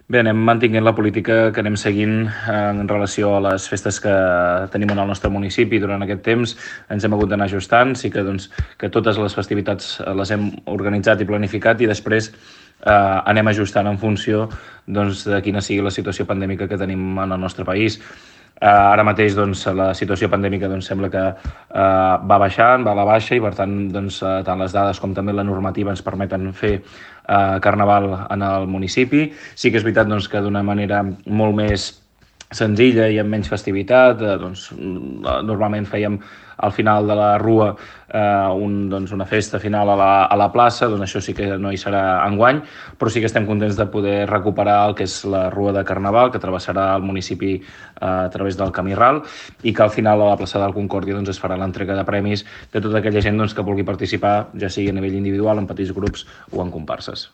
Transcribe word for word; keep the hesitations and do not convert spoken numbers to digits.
Bé, anem mantinguent la política que anem seguint en relació a les festes que tenim en el nostre municipi durant aquest temps. Ens hem hagut d'anar ajustant, sí que, doncs, que totes les festivitats les hem organitzat i planificat i després eh, anem ajustant en funció doncs, de quina sigui la situació pandèmica que tenim en el nostre país. Uh, ara mateix doncs, la situació pandèmica doncs, sembla que uh, va baixant, va a la baixa i per tant doncs, uh, tant les dades com també la normativa ens permeten fer uh, carnaval en el municipi. Sí que és veritat doncs, que d'una manera molt més senzilla i amb menys festivitat, eh, doncs, normalment fèiem al final de la rua eh, un, doncs, una festa final a la, a la plaça, doncs això sí que no hi serà enguany, però sí que estem contents de poder recuperar el que és la rua de Carnaval, que travessarà el municipi eh, a través del Camí Ral, i que al final a la plaça del Concòrdia doncs, es farà l'entrega de premis de tota aquella gent doncs, que vulgui participar, ja sigui a nivell individual, en petits grups o en comparses.